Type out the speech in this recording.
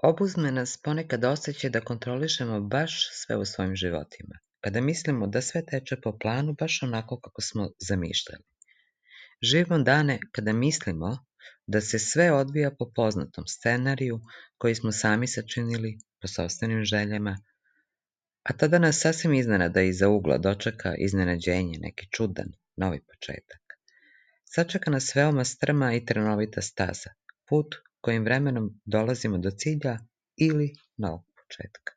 Obuzme nas ponekad osjećaj da kontrolišemo baš sve u svojim životima, kada mislimo da sve teče po planu baš onako kako smo zamišljali. Živimo dane kada mislimo da se sve odvija po poznatom scenariju koji smo sami sačinili po sopstvenim željama, a tada nas sasvim iznenada iza ugla dočeka iznenađenje, neki čudan, novi početak. Sačeka nas veoma strma i trnovita staza, put kojim vremenom dolazimo do cilja ili novog početka.